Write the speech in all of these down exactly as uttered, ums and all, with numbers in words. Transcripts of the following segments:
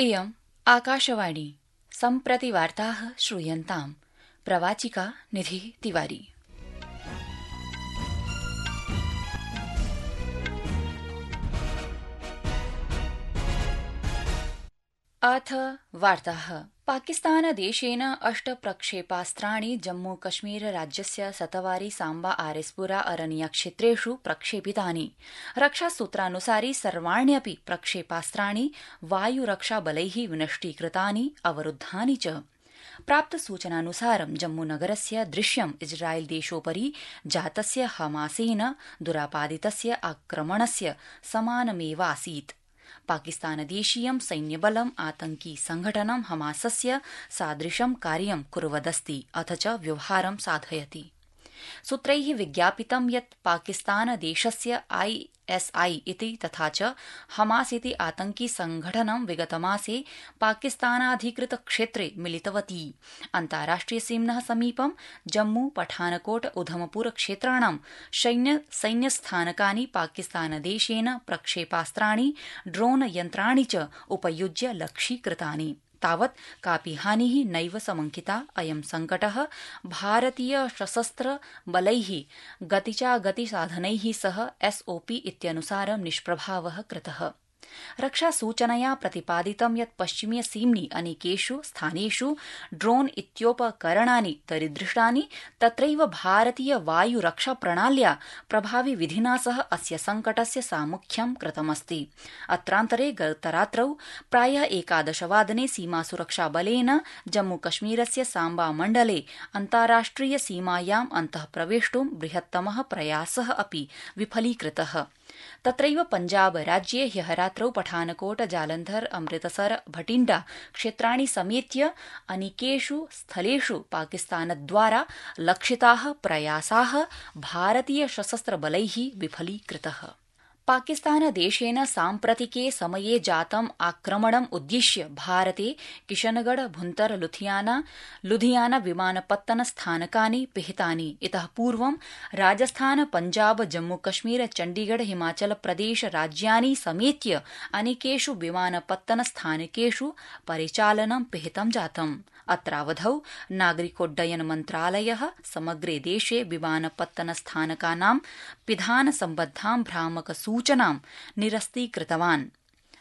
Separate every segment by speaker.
Speaker 1: इयम् आकाशवाणी सम्प्रति वार्ताः श्रूयन्ताम्। प्रवाचिका निधिः तिवारी। अथ वार्ताः। पाकिस्तानदेशेन अष्ट प्रक्षेपास्त्राणि जम्मू कश्मीर राज्यस्य सतवारी सांबा आरेस्पुरा अरनिया क्षेत्रेषु प्रक्षेपितानि। रक्षासूत्रानुसारि सर्वाण्यपि प्रक्षेपास्त्राणि वायुरक्षाबलैः विनष्टीकृतानि अवरुद्धानि च। प्राप्तसूचनानुसारं जम्मूनगरस्य दृश्यम् इस्रायेलदेशोपरि जातस्य हमासेन दुरापादितस्य आक्रमणस्य समानमेवासीत्। पाकिस्तानदेशीयं सैन्यबलम् आतंकी संघटनं हमासस्य सादृशं कार्यं कुर्वदस्ति अथ च व्यवहारं साधयति। सूत्रैः विज्ञापितं यत् पाकिस्तानदेशस्य आईएसआई इति तथा च हमास इति आतंकी संघटनं विगतमासे पाकिस्तानाधिकृत क्षेत्रे मिलितवती। अन्ताराष्ट्रियसीम्नः समीपं जम्मू पठानकोट उधमपुर क्षेत्राणां सैन्यस्थानकानि पाकिस्तानदेशेन प्रक्षेपास्त्राणि ड्रोन यन्त्राणि च उपयुज्य लक्ष्यीकृतानि। तावत् कापि हानिः नैव समंकिता। अयं संकटः भारतीय सशस्त्र बलैः गतिचागतिसाधनैः सह एसओपी इत्यनुसारं निष्प्रभावः कृतः। रक्षासूचनया प्रतिपादितं यत् पश्चिमीयसीम्नि अनेकेषु स्थानेषु ड्रोन इत्योपकरणानि दरीदृष्टानि। तत्रैव भारतीय वायुरक्षाप्रणाल्या प्रभाविविधिना सह अस्य संकटस्य सामुख्यं कृतमस्ति। अत्रान्तरे गतरात्रौ प्रायः एकादशवादने सीमासुरक्षाबलेन जम्मूकश्मीरस्य सांबा मण्डले अन्ताराष्ट्रिय सीमायाम् अन्तः प्रवेष्टुं बृहत्तमः प्रयासः अपि विफलीकृतः। तत्रैव पंजाब राज्ये ह्यः रात्रौ पठानकोट जालन्धर अमृतसर भटिण्डा क्षेत्राणि समेत्य अनेकेषु स्थलेषु पाकिस्तानद्वारा लक्षिताः प्रयासाः भारतीय सशस्त्रबलैः विफलीकृतः। पाकिस्तानदेशेन साम्प्रतिके समये जातम् आक्रमणम् उद्दिश्य भारते किशनगढ़ भुन्तर लुधियाना लुधियाना विमानपत्तन स्थानकानि पिहितानि। इतः पूर्वं राजस्थान पंजाब जम्मूकश्मीर चण्डीगढ़ हिमाचल प्रदेश राज्यानि समेत्य अनेकेषु विमानपत्तन स्थानकेषु परिचालनं पिहितं जातम्। अत्रावधौ नागरिकोड्डयन मन्त्रालयः समग्रे देशे विमानपत्तन स्थानकानां पिधान सम्बद्धां भ्रामक सूचनां निरस्तीकृतवान्।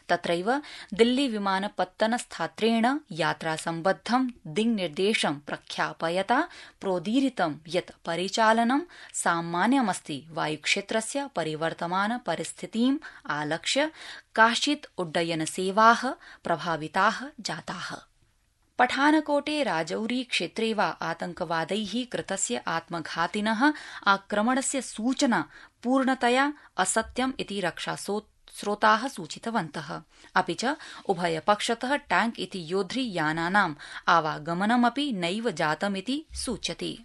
Speaker 1: तत्रैव दिल्ली विमानपत्तन स्थात्रेण यात्रासम्बद्धं दिङ्निर्देशं प्रख्यापयता प्रोदीरितं यत् परिचालनं सामान्यमस्ति। वायुक्षेत्रस्य परिवर्तमान परिस्थितिम् आलक्ष्य काश्चित् उड्डयनसेवाः प्रभाविताः जाताः। पठानकोटे राजौरी क्षेत्रे वा आतंकवादैः कृतस्य आत्मघातिनः आक्रमणस्य सूचना पूर्णतया असत्यम् इति रक्षास्रोताः सूचितवन्तः। अपि च उभयपक्षतः टैंक इति योद्धृयानानाम् आवागमनमपि नैव जातमिति सूच्यते।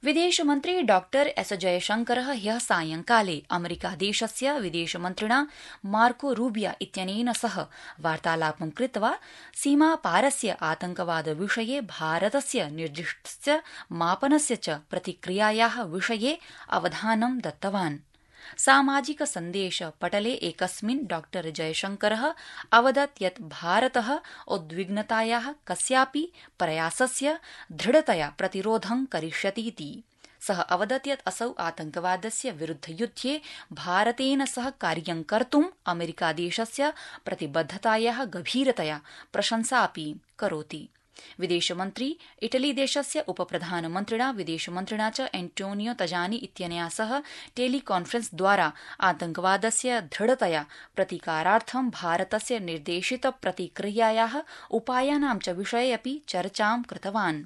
Speaker 1: विदेशमन्त्री डॉक्टर एस जयशंकरः ह्यः सायंकाले अमेरिकादेशस्य विदेशमन्त्रिणा मार्को रूबिया इत्यनेन सह वार्तालापं कृत्वा सीमापारस्य आतंकवादविषये भारतस्य निर्दिष्टस्य मापनस्य च प्रतिक्रियायाः विषये अवधानं दत्तवान्। सामाजिक सन्देश पटले एकस्मिन् डॉक्टर जयशंकरः अवदत् यत् भारतः उद्विग्नतायाः कस्यापि प्रयासस्य दृढतया प्रतिरोधं करिष्यतीति। सः अवदत् यत् असौ आतंकवादस्य विरुद्धयुद्धे भारतेन सह कार्यं कर्तुम् अमेरिकादेशस्य प्रतिबद्धतायाः गभीरतया प्रशंसापि करोति। विदेशमन्त्री इटलीदेशस्य उपप्रधानमन्त्रिणा विदेशमन्त्रिणा च एंटोनियो तजानी इत्यनया सह टेलीकान्फ्रेंस द्वारा आतंकवादस्य दृढतया प्रतिकारार्थं भारतस्य निर्देशित प्रतिक्रियायाः उपायानां च विषये अपि चर्चां कृतवान्।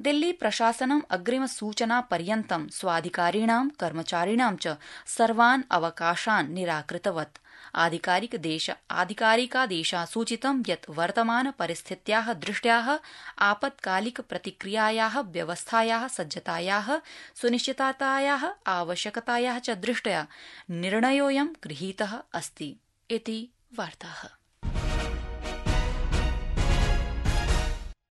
Speaker 1: दिल्ली प्रशासनम् अग्रिमसूचनापर्यन्तं स्वाधिकारिणां कर्मचारिणां च सर्वान् अवकाशान् निराकृतवत्। आधिकारिकादेशा सूचितं यत् वर्तमान परिस्थित्याः दृष्ट्याः आपत्कालिक प्रतिक्रियायाः व्यवस्थायाः सज्जतायाः सुनिश्चिततायाः आवश्यकतायाः च दृष्ट्या निर्णयोऽयं गृहीतः अस्ति इति वार्ताः।